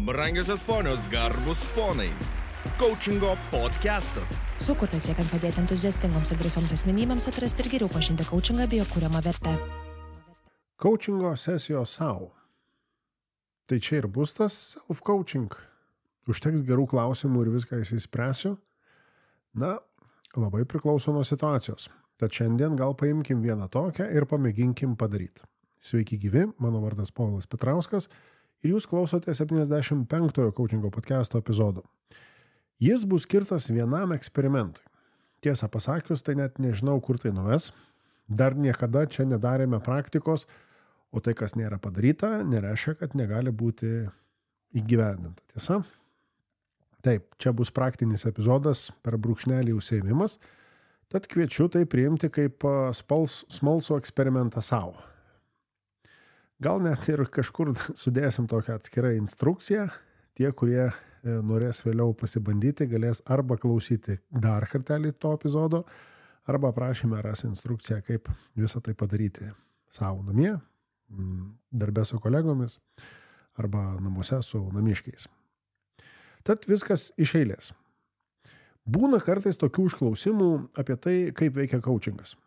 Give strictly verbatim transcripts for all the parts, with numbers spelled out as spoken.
Brangiosios ponios, garbus ponai. Coachingo podcastas. Sukurtas siekiant padėti entuziastingoms ir drąsioms asmenybėms atrasti ir geriau pažinti coachingą bei jo kuriamą vertę. Coachingo sesijos sau. Tai čia ir bus tas self-coaching. Užteks gerų klausimų ir viską įsispręsiu. Na, labai priklauso nuo situacijos. Tad šiandien gal paimkim vieną tokią ir pamėginkim padaryti. Sveiki gyvi, mano vardas Povilas Petrauskas ir jūs klausote septyniasdešimt penktojo coachingo podcasto epizodo. Jis bus skirtas vienam eksperimentui. Tiesą pasakius, tai net nežinau, kur tai nuves. Dar niekada čia nedarėme praktikos, o tai, kas nėra padaryta, nereiškia, kad negali būti įgyvendinta. Tiesa? Taip, čia bus praktinis epizodas per brūkšnelį užsiėmimas, tad kviečiu tai priimti kaip spals, smalsų eksperimentą savo. Gal net ir kažkur sudėsim tokią atskirą instrukciją. Tie, kurie norės vėliau pasibandyti, galės arba klausyti dar kartelį to epizodo, arba prašymę ras instrukciją, kaip visą tai padaryti savo namie, darbe su kolegomis, arba namuose su namiškiais. Tad viskas iš eilės. Būna kartais tokių užklausimų apie tai, kaip veikia coachingas.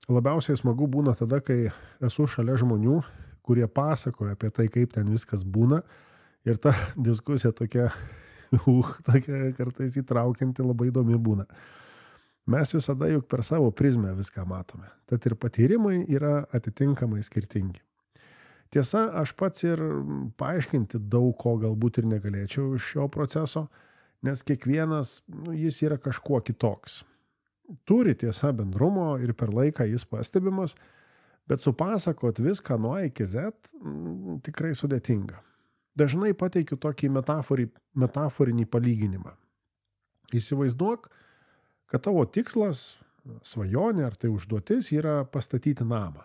Labiausiai smagu būna tada, kai esu šalia žmonių, kurie pasakoja apie tai, kaip ten viskas būna. Ir ta diskusija tokia, uh, tokia kartais įtraukianti, labai įdomi būna. Mes visada juk per savo prizmę viską matome. Tad ir patyrimai yra atitinkamai skirtingi. Tiesa, aš pats ir paaiškinti daug ko galbūt ir negalėčiau iš šio proceso, nes kiekvienas, nu, jis yra kažkuo kitoks. Turi tiesa bendrumo ir per laiką jis pastebimas, bet supasakot viską nuo A iki Z m, tikrai sudėtinga. Dažnai pateikiu tokį metaforį, metaforinį palyginimą. Įsivaizduok, kad tavo tikslas, svajonė ar tai užduotis yra pastatyti namą.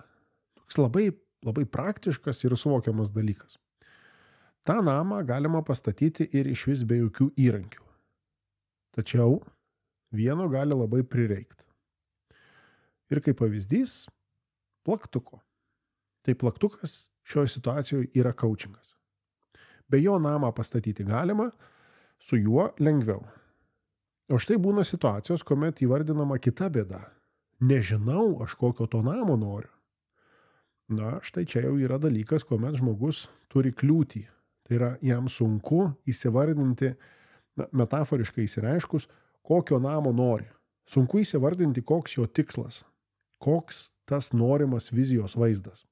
Toks labai, labai praktiškas ir suvokiamas dalykas. Ta namą galima pastatyti ir iš vis be jokių įrankių. Tačiau vieno gali labai prireikti. Ir kaip pavyzdys, plaktuko. Tai plaktukas šioje situacijoje yra coachingas. Be jo namą pastatyti galima, su juo lengviau. O štai būna situacijos, kuomet įvardinama kita bėda. Nežinau, aš kokio to namo noriu. Na, štai čia jau yra dalykas, kuomet žmogus turi kliūtį. Tai yra jam sunku įsivardinti, na, metaforiškai įsireiškus, kokio namo nori. Sunku įsivardinti, koks jo tikslas, koks tas norimas vizijos vaizdas.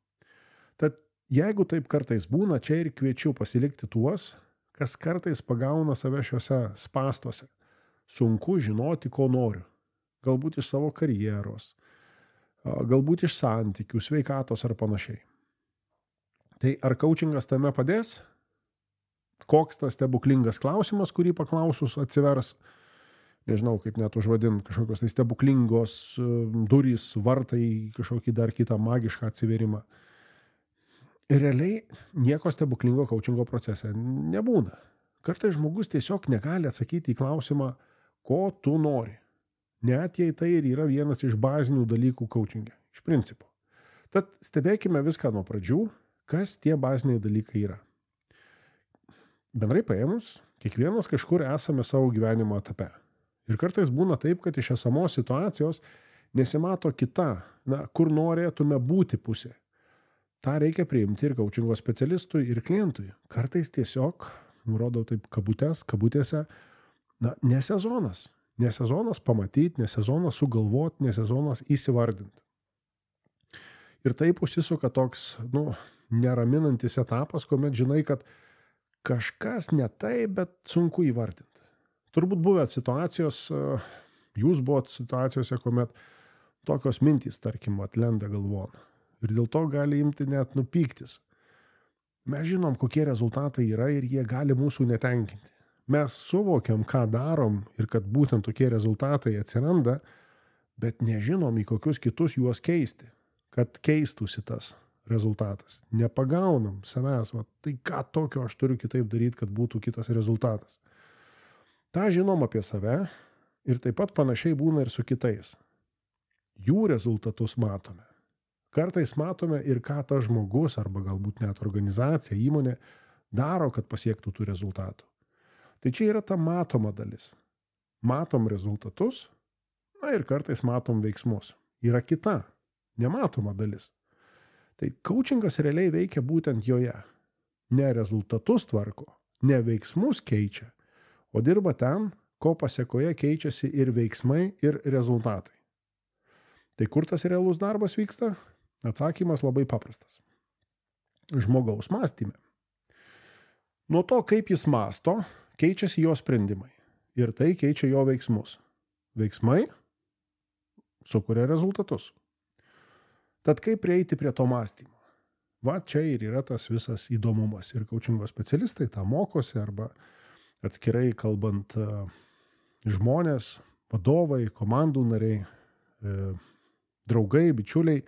Tad jeigu taip kartais būna, čia ir kviečiu pasilikti tuos, kas kartais pagauna save šiuose spastuose. Sunku žinoti, ko noriu. Galbūt iš savo karjeros, galbūt iš santykių, sveikatos ar panašiai. Tai ar coachingas tame padės? Koks tas stebuklingas klausimas, kurį paklausus atsivers, nežinau, kaip net užvadint, kažkokios tai stebuklingos durys, vartai, kažkokį dar kitą magišką atsiverimą. Ir realiai nieko stebuklingo coachingo procese nebūna. Kartais žmogus tiesiog negali atsakyti į klausimą, ko tu nori. Net jei tai ir yra vienas iš bazinių dalykų coachinge, iš principo. Tad stebėkime viską nuo pradžių, kas tie baziniai dalykai yra. Bendrai paėmus, kiekvienas kažkur esame savo gyvenimo etape. Ir kartais būna taip, kad iš esamos situacijos nesimato kita, na, kur norėtume būti pusė. Ta reikia priimti ir coachingo specialistui, ir klientui. Kartais tiesiog, nurodau taip kabutės, kabutėse, na, ne sezonas. Ne sezonas pamatyti, ne sezonas sugalvoti, ne sezonas įsivardinti. Ir taip užsisuka toks, nu, neraminantis etapas, kuomet žinai, kad kažkas ne taip, bet sunku įvardinti. Turbūt buvę situacijos, jūs buvot situacijose, kuomet tokios mintys, tarkim, atlenda galvon. Ir dėl to gali imti net nupyktis. Mes žinom, kokie rezultatai yra ir jie gali mūsų netenkinti. Mes suvokiam, ką darom ir kad būtent tokie rezultatai atsiranda, bet nežinom, į kokius kitus juos keisti, kad keistųsi tas rezultatas. Nepagaunam savęs, va, tai ką tokio aš turiu kitaip daryti, kad būtų kitas rezultatas. Ta žinom apie save ir taip pat panašiai būna ir su kitais. Jų rezultatus matome. Kartais matome ir ką tas žmogus arba galbūt net organizacija, įmonė daro, kad pasiektų tų rezultatų. Tai čia yra ta matoma dalis. Matom rezultatus, na ir kartais matom veiksmus. Yra kita, nematoma dalis. Tai coachingas realiai veikia būtent joje. Ne rezultatus tvarko, ne veiksmus keičia, o dirba ten, ko pasiekoje keičiasi ir veiksmai, ir rezultatai. Tai kur tas realus darbas vyksta? Atsakymas labai paprastas. Žmogaus mąstyme. Nuo to, kaip jis mąsto, keičiasi jo sprendimai. Ir tai keičia jo veiksmus. Veiksmai sukuria rezultatus. Tad kaip prieiti prie to mąstymo? Va čia ir yra tas visas įdomumas. Ir coachingo specialistai tą mokosi, arba atskirai kalbant žmonės, vadovai, komandų nariai, draugai, bičiuliai,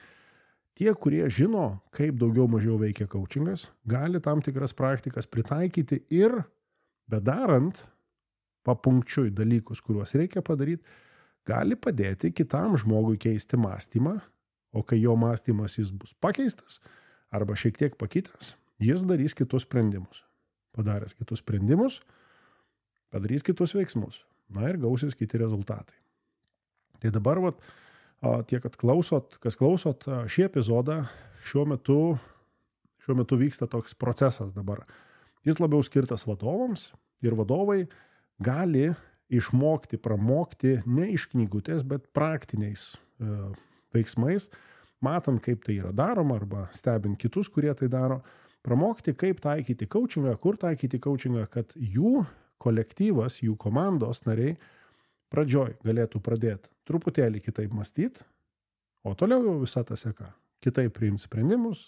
tie, kurie žino, kaip daugiau mažiau veikia coachingas, gali tam tikras praktikas pritaikyti ir, bedarant papunkčiui dalykus, kuriuos reikia padaryti, gali padėti kitam žmogui keisti mąstymą, o kai jo mąstymas jis bus pakeistas arba šiek tiek pakitęs, jis darys kitus sprendimus. Padaręs kitus sprendimus, padarys kitus veiksmus. Na ir gausis kiti rezultatai. Tai dabar, vat, tie, kad klausot, kas klausot šį epizodą, šiuo metu, šiuo metu vyksta toks procesas dabar. Jis labiau skirtas vadovams ir vadovai gali išmokti, pramokti ne iš knygutės, bet praktiniais e, veiksmais, matant, kaip tai yra daroma arba stebint kitus, kurie tai daro, pramokti, kaip taikyti coachingą, kur taikyti coachingą, kad jų kolektyvas, jų komandos nariai pradžioj galėtų pradėti truputėlį kitaip mąstyti, o toliau jau visa ta seka. Kitaip priimti sprendimus,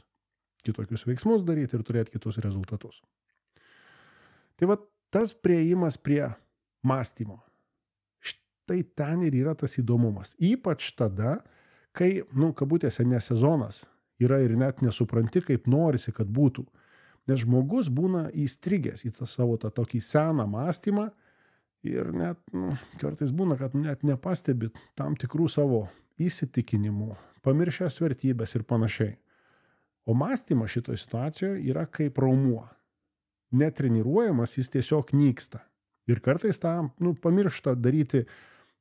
kitokius veiksmus daryti ir turėti kitus rezultatus. Tai va tas priėjimas prie mąstymo. Štai ten ir yra tas įdomumas. Ypač tada, kai, nu, kabutėse ne sezonas yra ir net nesupranti, kaip norisi, kad būtų. Nes žmogus būna įstrigęs į tą savo tą tokį seną mąstymą ir net, nu, kartais būna, kad net nepastebi tam tikrų savo įsitikinimų, pamiršęs vertybės ir panašiai. O mąstymas šitoje situacijoje yra kaip raumuo. Netreniruojamas, jis tiesiog nyksta. Ir kartais tą, nu, pamiršta daryti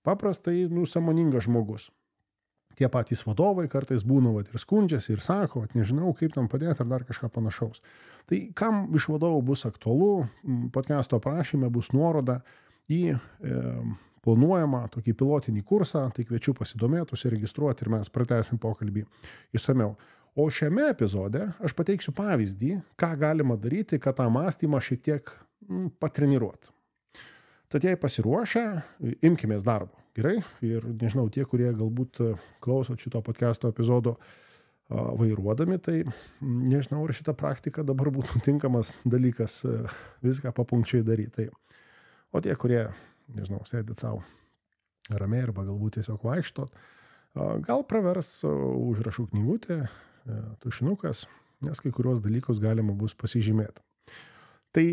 paprastai, nu, sąmoningas žmogus. Tie patys vadovai kartais būna, vat, ir skundžiasi, ir sako, vat, nežinau, kaip tam padėti, ar dar kažką panašaus. Tai kam iš vadovų bus aktualu, podcasto aprašyme bus nuoroda į e, planuojamą tokį pilotinį kursą, tai kviečiu pasidomėti, užsiregistruoti ir mes pratęsim pokalbį išsamiau. O šiame epizode aš pateiksiu pavyzdį, ką galima daryti, kad tą mąstymą šiek tiek m, patreniruoti. Tad jei pasiruošę, imkimės darbo. Gerai? Ir nežinau, tie, kurie galbūt klausot šito podcasto epizodo vairuodami, tai nežinau, ar šita praktika dabar būtų tinkamas dalykas viską papunkčiai daryti. Tai, o tie, kurie, nežinau, sėdit savo ramiai arba galbūt tiesiog vaikštot, gal pravers užrašų knygutė, tušinukas, nes kai kurios dalykus galima bus pasižymėti. Tai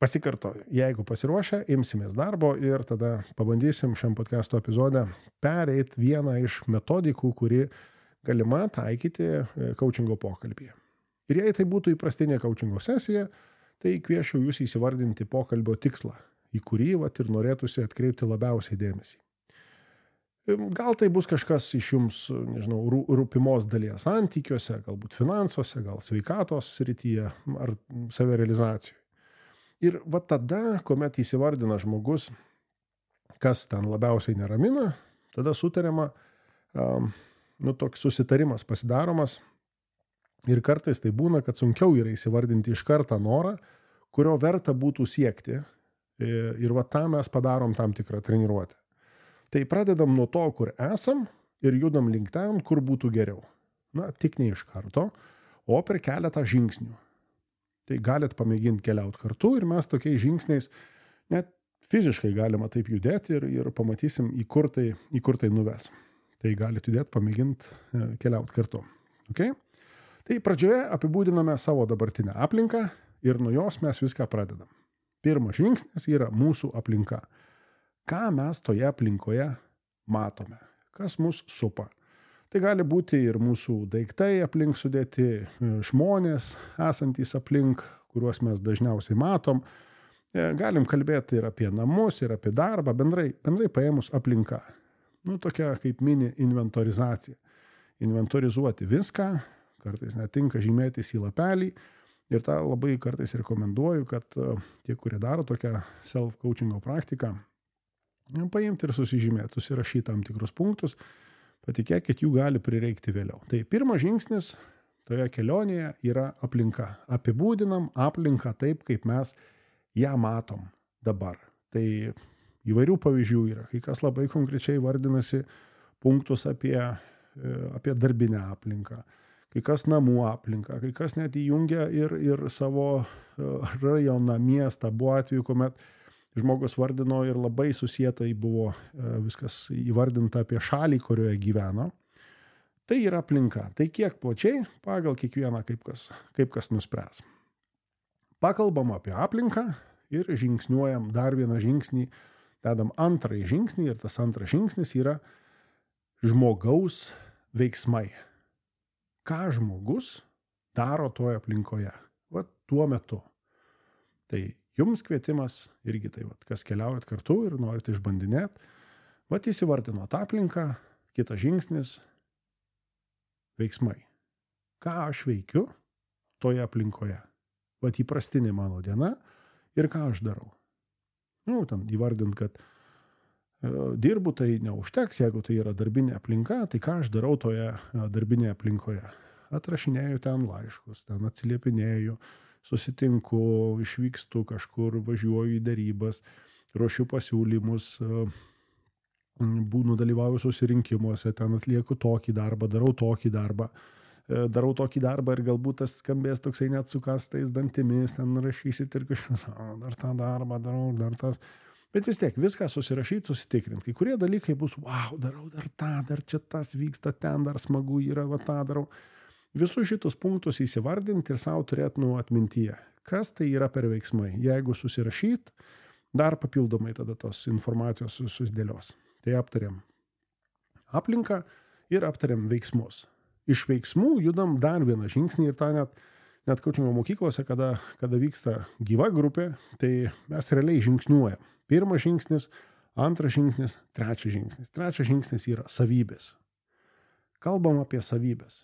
pasikartoju, jeigu pasiruošę, imsimės darbo ir tada pabandysim šiam podcasto epizode pereit vieną iš metodikų, kuri galima taikyti coachingo pokalbyje. Ir jei tai būtų įprastinė coachingo sesija, tai kviečiu jūs įsivardinti pokalbio tikslą, į kurį vat ir norėtųsi atkreipti labiausiai dėmesį. Gal tai bus kažkas iš jums, nežinau, rūpimos dalies santykiuose, galbūt finansuose, gal sveikatos srityje ar savirealizacijoje. Ir va tada, kuomet įsivardina žmogus, kas ten labiausiai neramina, tada sutariama, um, nu, toks susitarimas pasidaromas ir kartais tai būna, kad sunkiau yra įsivardinti iš kartą norą, kurio verta būtų siekti ir va tą mes padarom tam tikrą treniruotę. Tai pradedam nuo to, kur esam ir judam link ten, kur būtų geriau. Na, tik ne iš karto, o per keletą žingsnių. Tai galit pamėginti keliauti kartu ir mes tokiais žingsniais net fiziškai galima taip judėti ir, ir pamatysim, į kur tai, į kur tai nuves. Tai galit judėti, pamėginti keliauti kartu. Okay? Tai pradžioje apibūdiname savo dabartinę aplinką ir nuo jos mes viską pradedam. Pirmas žingsnis yra mūsų aplinka. Ką mes toje aplinkoje matome? Kas mus supa? Tai gali būti ir mūsų daiktai aplink sudėti, žmonės esantys aplink, kuriuos mes dažniausiai matom. Galim kalbėti ir apie namus, ir apie darbą, bendrai, bendrai paėmus aplinka. Nu, tokia kaip mini inventorizacija. Inventorizuoti viską, kartais netinka žymėtis į lapelį. Ir tą labai kartais rekomenduoju, kad tie, kurie daro tokią self-coachingo praktiką, paimti ir susižymėti, susirašyti tam tikrus punktus, patikėkit, jų gali prireikti vėliau. Tai pirmas žingsnis toje kelionėje yra aplinka. Apibūdinam aplinką taip, kaip mes ją matom dabar. Tai įvairių pavyzdžių yra. Kai kas labai konkrečiai vardinasi punktus apie, apie darbinę aplinką, kai kas namų aplinką, kai kas net įjungia ir, ir savo rajoną, miestą. Buvo atveju, kuomet žmogus vardino ir labai susietai buvo viskas įvardinta apie šalį, kurioje gyveno. Tai yra aplinka. Tai kiek plačiai pagal kiekvieną kaip kas, kaip kas nuspręs. Pakalbam apie aplinką ir žingsniuojam dar vieną žingsnį, dedam antrąjį žingsnį ir tas antras žingsnis yra žmogaus veiksmai. Ką žmogus daro toje aplinkoje, va tuo metu. Tai jums kvietimas irgi tai, va, kas keliaujat kartu ir norite išbandinėti, va įsivardinot aplinką, kitas žingsnis – veiksmai. Ką aš veikiu toje aplinkoje, va įprastinė mano diena ir ką aš darau. Nu, ten įvardint, kad e, dirbu, tai neužteks, jeigu tai yra darbinė aplinka, tai ką aš darau toje darbinėje aplinkoje. Atrašinėju ten laiškus, ten atsiliepinėju, susitinku, išvykstu kažkur, važiuoju į derybas, ruošiu pasiūlymus, būnu dalyvauju susirinkimuose, ten atlieku tokį darbą, darau tokį darbą. Darau tokį darbą ir galbūt tas skambės toksai net su kastais dantimis, ten rašysit ir kažkas, dar tą darbą darau, dar tas. Bet vis tiek viską susirašyti, susitikrinti. Kai kurie dalykai bus, wow, darau dar tą, dar čia tas vyksta, ten dar smagu yra, va tą darau. Visus šitus punktus įsivardinti ir savo turėti nu atmintyje. Kas tai yra per veiksmai? Jeigu susirašyti, dar papildomai tada tos informacijos susidėlios. Tai aptariam aplinką ir aptariam veiksmus. Iš veiksmų judam dar vieną žingsnį ir tą net, net coachingo mokyklose, kada, kada vyksta gyva grupė, tai mes realiai žingsniuojam. Pirmas žingsnis, antras žingsnis, trečias žingsnis. Trečias žingsnis yra savybės. Kalbam apie savybės.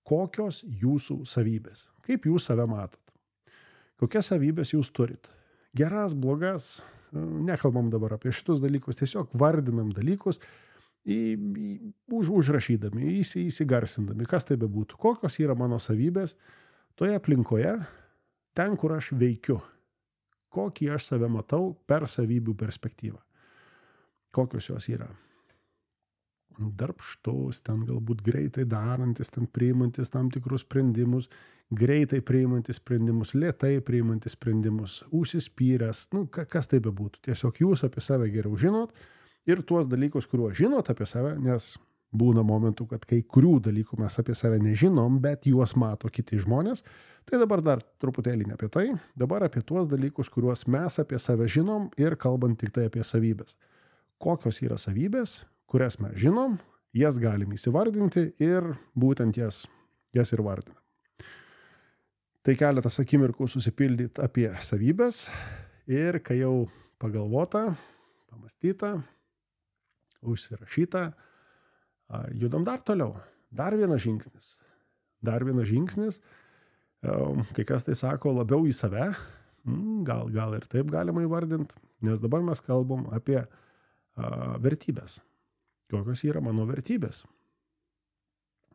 Kokios jūsų savybės? Kaip jūs save matot? Kokias savybės jūs turit? Geras, blogas, nekalbam dabar apie šitus dalykus, tiesiog vardinam dalykus, Į, į, už, užrašydami, įsi, įsigarsindami, kas tai bebūtų, kokios yra mano savybės toje aplinkoje, ten, kur aš veikiu, kokį aš save matau per savybių perspektyvą. Kokios jos yra. Darbštus, ten galbūt greitai darantis, ten priimantis tam tikrus sprendimus, greitai priimantis sprendimus, lėtai priimantis sprendimus, užsispyręs, nu, kas tai bebūtų. Tiesiog jūs apie save geriau žinot, ir tuos dalykus, kuriuos žinot apie save, nes būna momentų, kad kai kurių dalykų mes apie save nežinom, bet juos mato kiti žmonės, tai dabar dar truputėlį ne apie tai, dabar apie tuos dalykus, kuriuos mes apie save žinom ir kalbant tik tai apie savybės. Kokios yra savybės, kurias mes žinom, jas galim įsivardinti ir būtent jas, jas ir vardinam. Tai keletas akimirkų susipildyti apie savybės ir kai jau pagalvota, pamastyta, užsirašyta, judam dar toliau. Dar vienas žingsnis. Dar vienas žingsnis, kai kas tai sako labiau į save, gal, gal ir taip galima įvardinti, nes dabar mes kalbam apie a, vertybės. Kokios yra mano vertybės?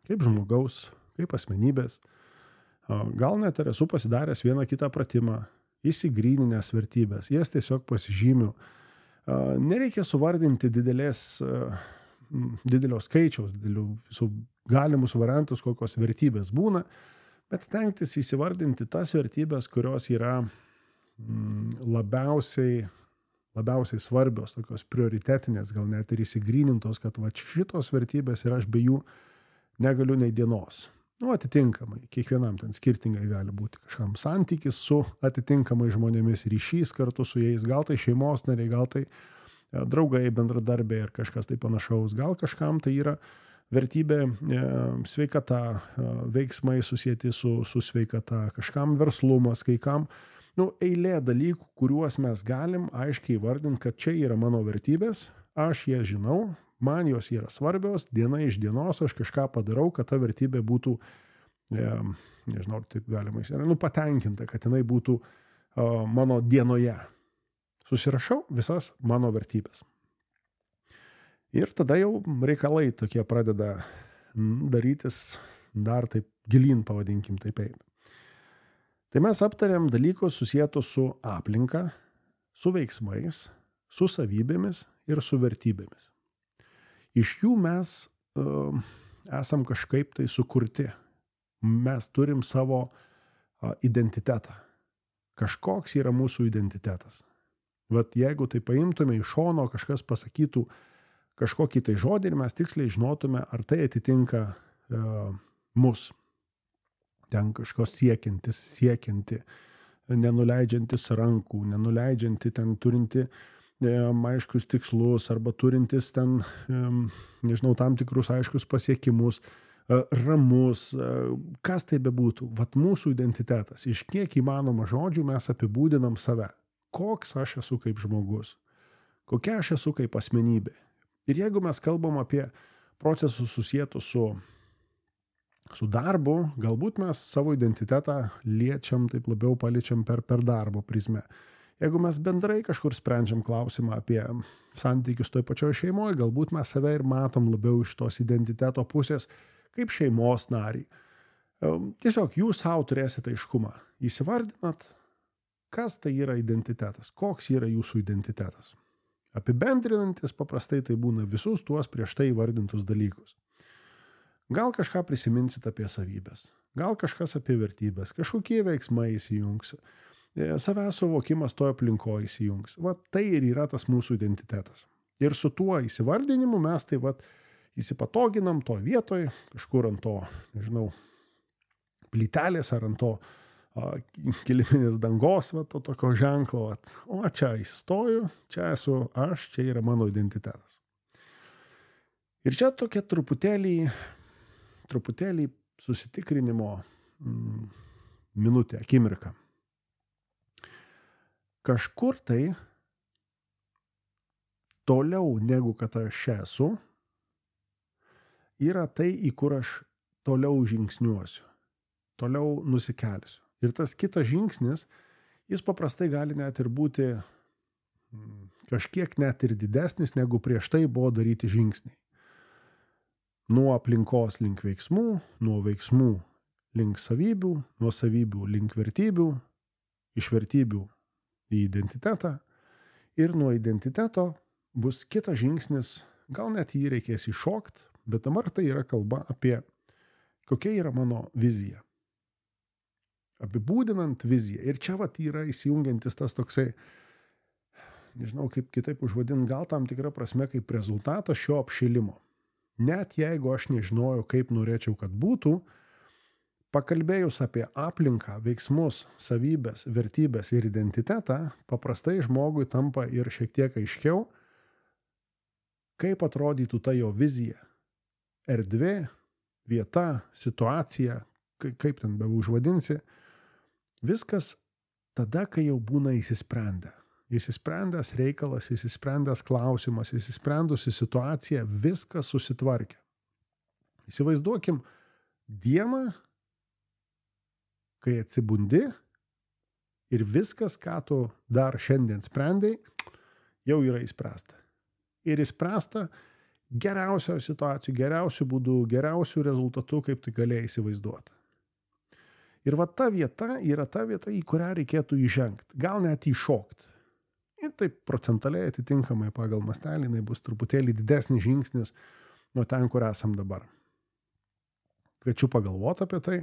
Kaip žmogaus, kaip asmenybės. A, gal net ir esu pasidaręs vieną kitą pratimą, įsigryninęs vertybės, jas tiesiog pasižymiu. Nereikia suvardinti didelės, didelio skaičiaus, didelių visų galimus variantus, kokios vertybės būna, bet stengtis įsivardinti tas vertybės, kurios yra labiausiai, labiausiai svarbios, tokios prioritetinės, gal net ir įsigrynintos, kad va šitos vertybės ir aš be jų negaliu nei dienos. Nu, atitinkamai, kiekvienam ten skirtingai gali būti kažkam santykis su atitinkamai žmonėmis, ryšys kartu su jais, gal tai šeimos nariai, gal tai draugai, bendradarbiai ar kažkas tai panašaus, gal kažkam tai yra vertybė e, sveikata, e, veiksmai susijęti su, su sveikata, kažkam verslumas, kai kam, nu, eilė dalykų, kuriuos mes galim aiškiai vardinti, kad čia yra mano vertybės, aš jas žinau, man jos yra svarbios, diena iš dienos aš kažką padarau, kad ta vertybė būtų, e, nežinau, taip galima įsivaizduoti, nu, patenkinta, kad jinai būtų e, mano dienoje. Susirašau visas mano vertybės. Ir tada jau reikalai tokie pradeda darytis dar taip gilyn, pavadinkim taip eina. Tai mes aptariam dalykus susijęs su aplinka, su veiksmais, su savybėmis ir su vertybėmis. Iš jų mes uh, esam kažkaip tai sukurti. Mes turim savo uh, identitetą. Kažkoks yra mūsų identitetas. Vat jeigu tai paimtume iš šono, kažkas pasakytų kažkokį tai žodį ir mes tiksliai žinotume, ar tai atitinka uh, mus. Ten kažkos siekiantis, siekianti, nenuleidžiantis rankų, nenuleidžianti ten turinti e, aiškius tikslus arba turintis ten, e, nežinau, tam tikrus aiškius pasiekimus, e, ramus, e, kas tai bebūtų. Vat mūsų identitetas, iš kiek įmanoma žodžių mes apibūdinam save. Koks aš esu kaip žmogus, kokia aš esu kaip asmenybė. Ir jeigu mes kalbam apie procesus susietus su Su darbu, galbūt mes savo identitetą liečiam, taip labiau paliečiam per, per darbo prizmę. Jeigu mes bendrai kažkur sprendžiam klausimą apie santykius toj pačioj šeimoje, galbūt mes save ir matom labiau iš tos identiteto pusės kaip šeimos narį. Tiesiog jūs savo turėsite aiškumą. Įsivardinat, kas tai yra identitetas, koks yra jūsų identitetas. Apibendrinantis paprastai tai būna visus tuos prieš tai įvardintus dalykus. Gal kažką prisiminsit apie savybės, gal kažkas apie vertybės, kažkokie veiksmai įsijungs, savęs suvokimas toje aplinkoje įsijungs. Va tai ir yra tas mūsų identitetas. Ir su tuo įsivardinimu mes tai va įsipatoginam to vietoje, kažkur ant to, nežinau, plytelės ar ant to a, kiliminės dangos, va to tokio ženklo. Va. O čia įstoju, čia esu aš, čia yra mano identitetas. Ir čia tokia truputėlį truputėlį susitikrinimo mm, minutė, akimirka. Kažkur tai toliau negu kad aš esu, yra tai, į kur aš toliau žingsniuosiu, toliau nusikelsiu. Ir tas kitas žingsnis, jis paprastai gali net ir būti mm, kažkiek net ir didesnis, negu prieš tai buvo daryti žingsniai. Nuo aplinkos link veiksmų, nuo veiksmų link savybių, nuo savybių link vertybių, iš vertybių į identitetą ir nuo identiteto bus kitas žingsnis, gal net jį reikės iššokti, bet dabar tai yra kalba apie kokia yra mano vizija. Apibūdinant viziją. Ir čia vat yra įsijungiantis tas toksai, nežinau kaip kitaip užvadint, gal tam tikra prasme kaip rezultatas šio apšilimo. Net jeigu aš nežinojau, kaip norėčiau, kad būtų, pakalbėjus apie aplinką, veiksmus, savybės, vertybės ir identitetą, paprastai žmogui tampa ir šiek tiek aiškiau, kaip atrodytų ta jo vizija. Erdvė, vieta, situacija, kaip ten be užvadinsi, viskas tada, kai jau būna įsisprendę. Įsisprendęs reikalas, įsisprendęs klausimas, įsisprendusi situacija, viskas susitvarkė. Įsivaizduokim dieną, kai atsibundi ir viskas, ką tu dar šiandien sprendei, jau yra įspręsta. Ir įspręsta geriausioje situacijoje, geriausių būdų, geriausių rezultatų, kaip tu galėjai įsivaizduoti. Ir va ta vieta yra ta vieta, į kurią reikėtų įžengti, gal net įšokti. Ir taip procentaliai atitinkamai pagal mastelį, jinai bus truputėlį didesnis žingsnis nuo ten, kur esam dabar. Kviečiu pagalvoti apie tai,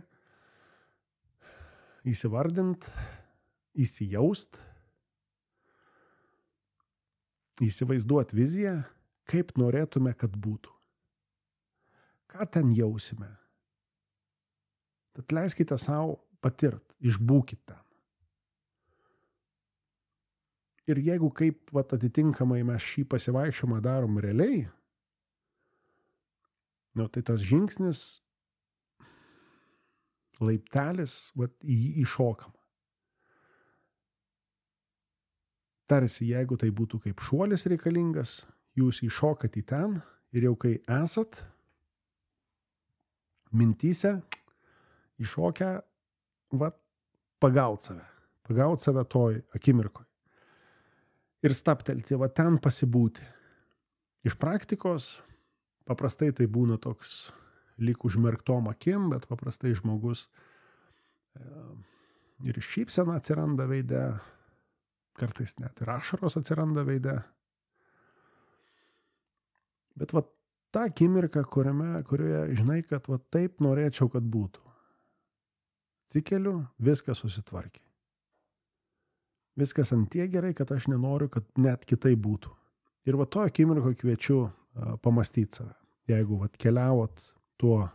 įsivardint, įsijaust, įsivaizduoti viziją, kaip norėtume, kad būtų. Ką ten jausime? Tad leiskite savo patirt, išbūkit ten. Ir jeigu kaip vat, atitinkamai mes šį pasivaikščiojimą darom realiai, Nu, tai tas žingsnis, laiptelis, vat, į jį įšokama. Tarsi, jeigu tai būtų kaip šuolis reikalingas, jūs įšokat į ten ir jau kai esat mintyse, įšokę, vat, pagaut save, pagaut save toj akimirkoj. Ir staptelti, va ten pasibūti. Iš praktikos paprastai tai būna toks lyg užmerktom akim, bet paprastai žmogus ir šypsena atsiranda veide, kartais net ir ašaros atsiranda veide. Bet va ta akimirka, kuriame, kurioje žinai, kad va taip norėčiau, kad būtų. Atsikeliu, viskas susitvarkė. Viskas ant tiek gerai, kad aš nenoriu, kad net kitai būtų. Ir va to akimirko kviečiu uh, pamastyti save. Jeigu va keliavot tuo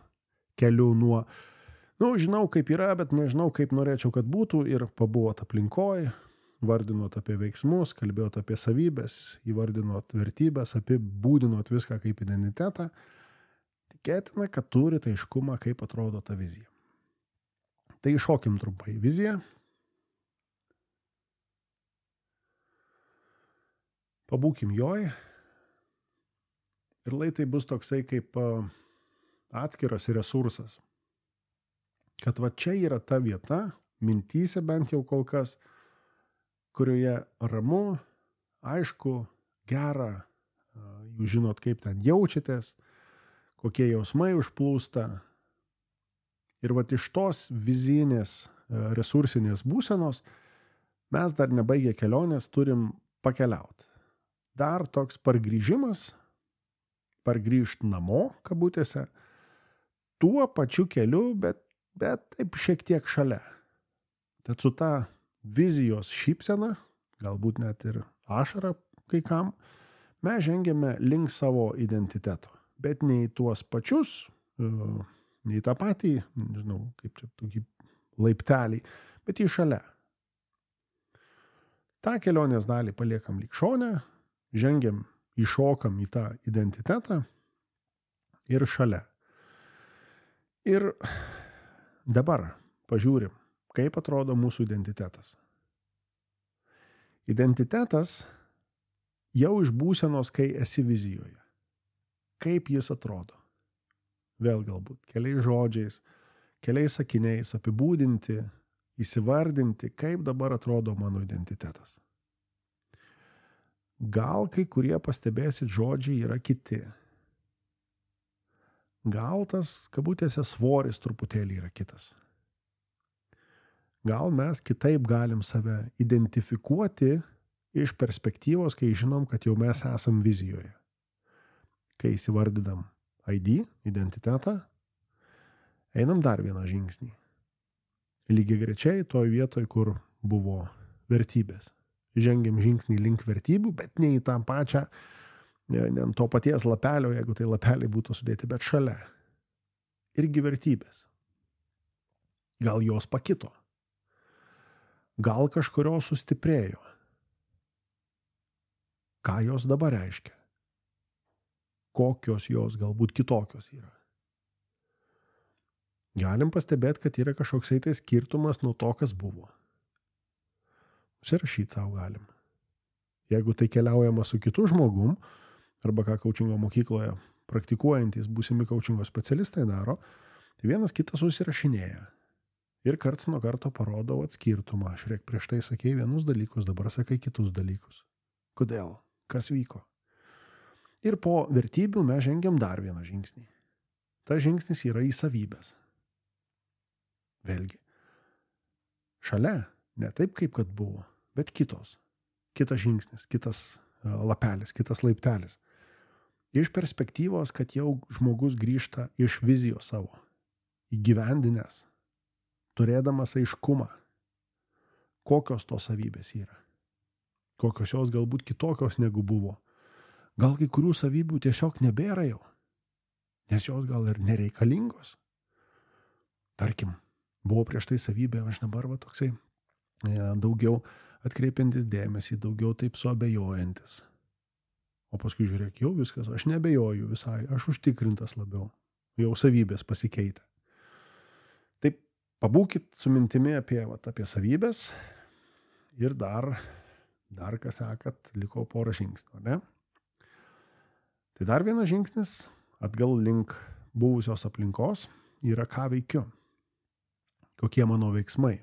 keliu nuo, nu, žinau kaip yra, bet nežinau kaip norėčiau, kad būtų, ir pabuvot aplinkoj, vardinot apie veiksmus, kalbėjot apie savybės, įvardinot vertybės, apibūdinot viską kaip identitetą, tikėtina, kad turite aiškumą, kaip atrodo ta vizija. Tai iššokim trumpai viziją. Pabūkim joj. Ir lai tai bus toksai kaip atskiras resursas. Kad va čia yra ta vieta, mintyse bent jau kol kas, kurioje ramu, aišku, gera, jūs žinot, kaip ten jaučiatės, kokie jausmai užplūsta. Ir vat iš tos vizijinės, resursinės būsenos mes dar nebaigę kelionės turim pakeliauti. Dar toks pargrįžimas, pargrįžt namo, kabutėse, tuo pačiu keliu, bet, bet taip šiek tiek šalia. Tad su ta vizijos šypsena, galbūt net ir ašara kai kam, mes žengiame link savo identiteto. Bet ne į tuos pačius, ne į tą patį, nežinau, kaip čia tokį laiptelį, bet į šalia. tą kelionės dalį paliekam lyg šone, žengiam, įšokam į tą identitetą ir šalia. Ir dabar pažiūrim, kaip atrodo mūsų identitetas. Identitetas jau iš būsenos, kai esi vizijoje. Kaip jis atrodo? Vėl galbūt keliais žodžiais, keliais sakiniais apibūdinti, įsivardinti, kaip dabar atrodo mano identitetas. Gal kai kurie pastebėsit žodžiai yra kiti. Gal tas, kabutėse, svoris truputėlį yra kitas. Gal mes kitaip galim save identifikuoti iš perspektyvos, kai žinom, kad jau mes esam vizijoje. Kai įsivardinam I D, identitetą, einam dar vieną žingsnį. Lygiai grečiai toj vietoj, kur buvo vertybės. Žengiam žingsnį link vertybių, bet ne į tą pačią, ne, ne ant to paties lapelio, jeigu tai lapeliai būtų sudėti, bet šalia. Irgi vertybės. Gal jos pakito. Gal kažkurios sustiprėjo. Ką jos dabar reiškia? Kokios jos galbūt kitokios yra. Galim pastebėti, kad yra kažkoksai tai skirtumas nuo to, kas buvo. Užsirašyti savo galim. Jeigu tai keliaujama su kitu žmogum, arba ką kaučingo mokykloje praktikuojantys būsimi kaučingo specialistai daro, tai vienas kitas susirašinėja. Ir karts nuo karto parodo atskirtumą. Žiūrėk, prieš tai sakei vienus dalykus, dabar sakai kitus dalykus. Kodėl? Kas vyko? Ir po vertybių mes žengiam dar vieną žingsnį. Ta žingsnis yra į savybės. Vėlgi. Šalia, ne taip kaip kad buvo, bet kitos. Kitas žingsnis, kitas lapelis, kitas laiptelis. Iš perspektyvos, kad jau žmogus grįžta iš vizijos savo, įgyvendinęs, turėdamas aiškumą, kokios tos savybės yra. Kokios jos galbūt kitokios negu buvo. Gal kai kurių savybių tiesiog nebėra jau, nes jos gal ir nereikalingos. Tarkim, buvo prieš tai savybė, aš dabar va toksai daugiau atkreipiantis dėmesį, daugiau taip suabejojantis. O paskui žiūrėk, jau viskas, aš nebejoju visai, aš užtikrintas labiau. jau savybės pasikeitė. Taip, pabūkit su mintimi apie, vat, apie savybės ir dar, dar ką sakat, liko porą žingsnių, ne? Tai dar vienas žingsnis atgal link buvusios aplinkos yra ką veikiu, kokie mano veiksmai.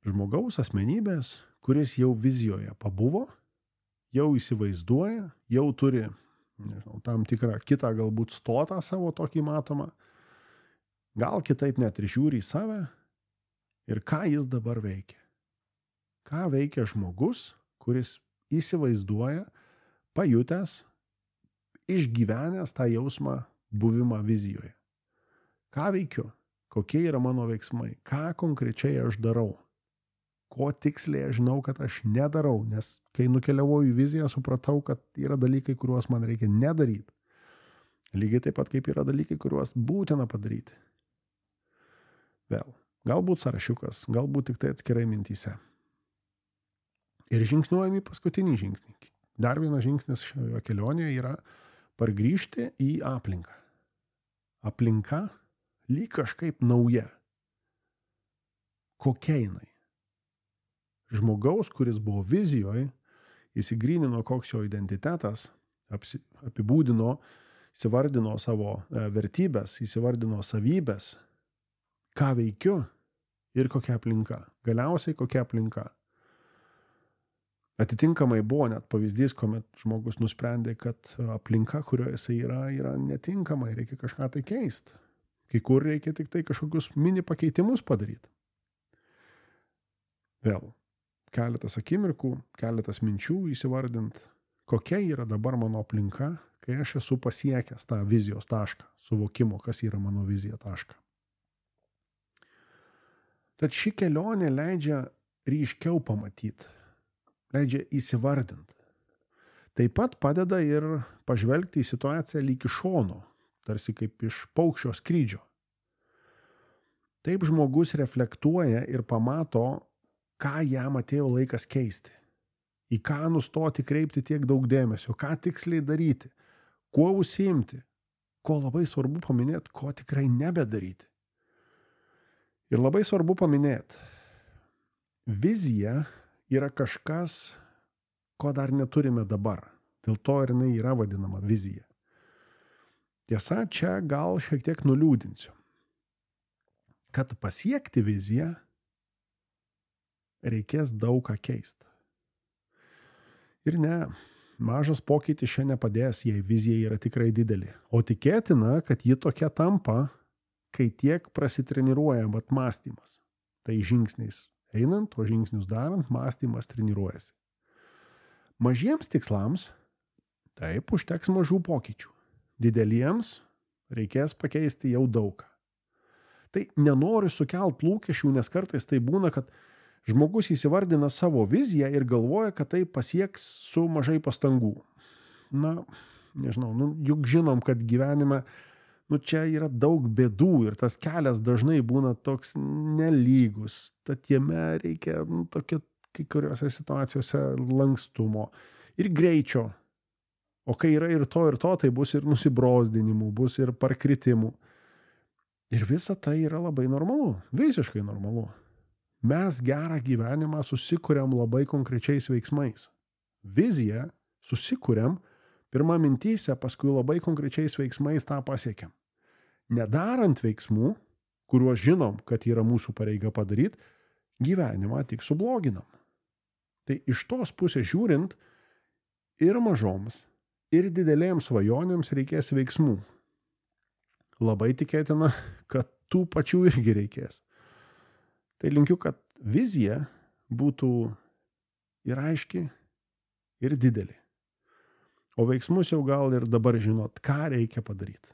Žmogaus asmenybės, kuris jau vizijoje pabuvo, jau įsivaizduoja, jau turi, nežinau, tam tikrą kitą galbūt stotą savo tokį matomą, gal kitaip net ir žiūri į save ir ką jis dabar veikia. Ką veikia žmogus, kuris įsivaizduoja, pajutęs, išgyvenęs tą jausmą buvimą vizijoje. Ką veikiu? Kokie yra mano veiksmai? Ką konkrečiai aš darau? Ko tiksliai aš žinau, kad aš nedarau, nes kai nukeliavau į viziją, supratau, kad yra dalykai, kuriuos man reikia nedaryti. Lygiai taip pat, kaip yra dalykai, kuriuos būtina padaryti. Vėl, galbūt sąrašiukas, galbūt tik tai atskirai mintyse. Ir žingsniuojam į paskutinį žingsnį. Dar vienas žingsnis šioje kelionėje yra pargrįžti į aplinką. Aplinka lyg kažkaip nauja. Kokia jinai? Žmogaus, kuris buvo vizijoje, įsigrynino koks jo identitetas, apsi, apibūdino, įsivardino savo vertybės, įsivardino savybės, ką veikiu ir kokia aplinka. Galiausiai kokia aplinka. Atitinkamai buvo net pavyzdys, kuomet žmogus nusprendė, kad aplinka, kurioje jisai yra, yra netinkama ir reikia kažką tai keisti. Kai kur reikia tik tai kažkokius mini pakeitimus padaryti. Vėl. Keletas akimirkų, keletas minčių įsivardint, kokia yra dabar mano aplinka, kai aš esu pasiekęs tą vizijos tašką, suvokimo, kas yra mano vizija tašką. Tad ši kelionė leidžia ryškiau pamatyti, leidžia įsivardinti. Taip pat padeda ir pažvelgti į situaciją lyg iš šono, tarsi kaip iš paukščio skrydžio. Taip žmogus reflektuoja ir pamato, ką jam atėjo laikas keisti, į ką nustoti kreipti tiek daug dėmesio, ką tiksliai daryti, kuo užsiimti, ko labai svarbu paminėti, ko tikrai nebedaryti. Ir labai svarbu paminėti, vizija yra kažkas, ko dar neturime dabar, dėl to ir jinai yra vadinama vizija. Tiesa, čia gal šiek tiek nuliūdinsiu, kad pasiekti viziją reikės daug ką keisti. Ir ne, mažas pokytis čia nepadės, jei vizija yra tikrai didelė. O tikėtina, kad ji tokia tampa, kai tiek prasitreniruoja mat mąstymas. Tai žingsniais einant, o žingsnius darant, mąstymas treniruojasi. Mažiems tikslams taip užteks mažų pokyčių. Dideliems reikės pakeisti jau daugą. Tai nenoriu sukelt lūkesčių, nes kartais tai būna, kad žmogus įsivardina savo viziją ir galvoja, kad tai pasieks su mažai pastangų. Na, nežinau, nu, juk žinom, kad gyvenime, nu, čia yra daug bėdų ir tas kelias dažnai būna toks nelygus. Tad jame reikia, nu, tokio, kai kuriuose situacijose lankstumo ir greičio. O kai yra ir to, ir to, tai bus ir nusibrozdinimų, bus ir parkritimų. Ir visa tai yra labai normalu, visiškai normalu. Mes gerą gyvenimą susikuriam labai konkrečiais veiksmais. Viziją susikuriam pirmą mintyse, paskui labai konkrečiais veiksmais tą pasiekiam. Nedarant veiksmų, kuriuos žinom, kad yra mūsų pareiga padaryti, gyvenimą tik subloginam. Tai iš tos pusės žiūrint, ir mažoms, ir didelėms svajonėms reikės veiksmų. Labai tikėtina, kad tų pačių irgi reikės. Tai linkiu, kad vizija būtų ir aiški, ir didelė. O veiksmus jau gal ir dabar žinot, ką reikia padaryti.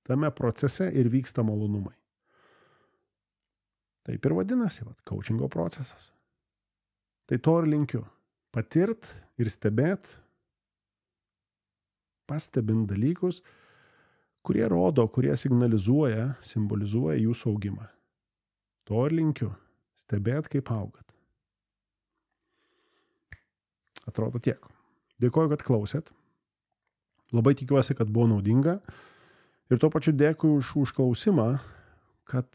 Tame procese ir vyksta malonumai. Taip ir vadinasi, vat, coachingo procesas. Tai to ir linkiu. Patirt ir stebėt, pastebint dalykus, kurie rodo, kurie signalizuoja, simbolizuoja jūsų augimą. To ir linkiu. Stebėt, kaip augat. Atrodo tiek. Dėkoju, kad klausėt. Labai tikiuosi, kad buvo naudinga. Ir tuo pačiu dėkui už užklausimą, kad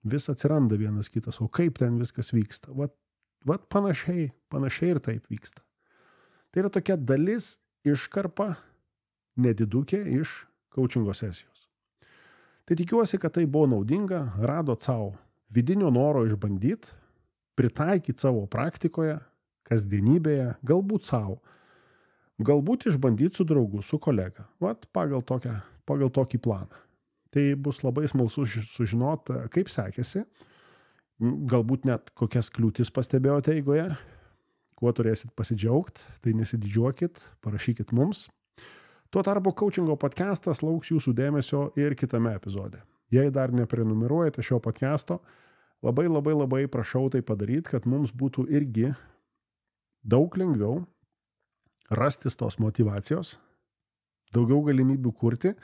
vis atsiranda vienas kitas, o kaip ten viskas vyksta. Vat, vat panašiai, panašiai ir taip vyksta. Tai yra tokia dalis iškarpa, nedidukė iš coachingo sesijos. Tai tikiuosi, kad tai buvo naudinga, radot savo vidinio noro išbandyti, pritaikyti savo praktikoje, kasdienybėje, galbūt savo, galbūt išbandyti su draugu, su kolega, vat pagal, tokią, pagal tokį planą. Tai bus labai smalsu sužinoti, kaip sekėsi, galbūt net kokias kliūtis pastebėjote eigoje, kuo turėsit pasidžiaugti, tai nesididžiuokit, parašykit mums. Tuo tarpu coachingo podcastas lauks jūsų dėmesio ir kitame epizode. Jei dar neprenumeruojate šio podcasto, labai labai labai prašau tai padaryti, kad mums būtų irgi daug lengviau rastis tos motyvacijos, daugiau galimybių kurti,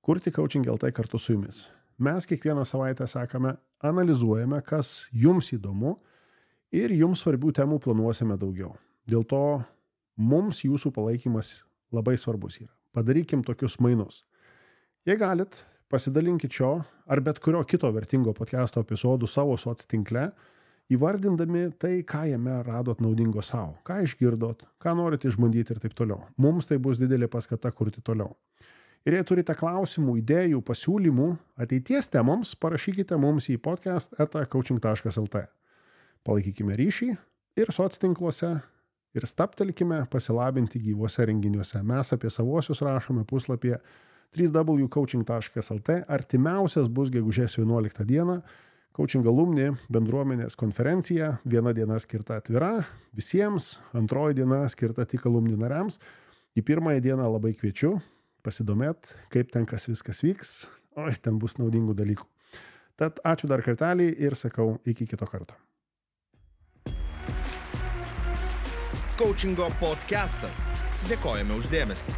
kurti Coaching L T kartu su jumis. Mes kiekvieną savaitę sekame, analizuojame, kas jums įdomu ir jums svarbių temų planuosime daugiau. Dėl to mums jūsų palaikymas labai svarbus yra. Padarykim tokius mainus. Jei galit, pasidalinkit šio ar bet kurio kito vertingo podcast'o epizodų savo soc tinkle, įvardindami tai, ką jame radot naudingo savo, ką išgirdot, ką norit išbandyti ir taip toliau. Mums tai bus didelė paskata kurti toliau. Ir jei turite klausimų, idėjų, pasiūlymų, ateities temoms, parašykite mums į podcast eta coaching taškas el t. Palaikykime ryšį ir soc tinkluose ir staptelkime pasilabinti gyvuose renginiuose. Mes apie savosius rašome puslapyje w w w taškas coaching taškas el t. Artimiausias bus gegužės vienuoliktą dieną. Coaching alumni bendruomenės konferencija. Viena diena skirta atvira visiems, antroji diena skirta tik alumni nariams. Į pirmąją dieną labai kviečiu pasidomėt, kaip ten kas viskas vyks. O, ten bus naudingų dalykų. Tad ačiū dar kartelį ir sakau iki kito karto. Coachingo podcastas. Dėkojame už dėmesį.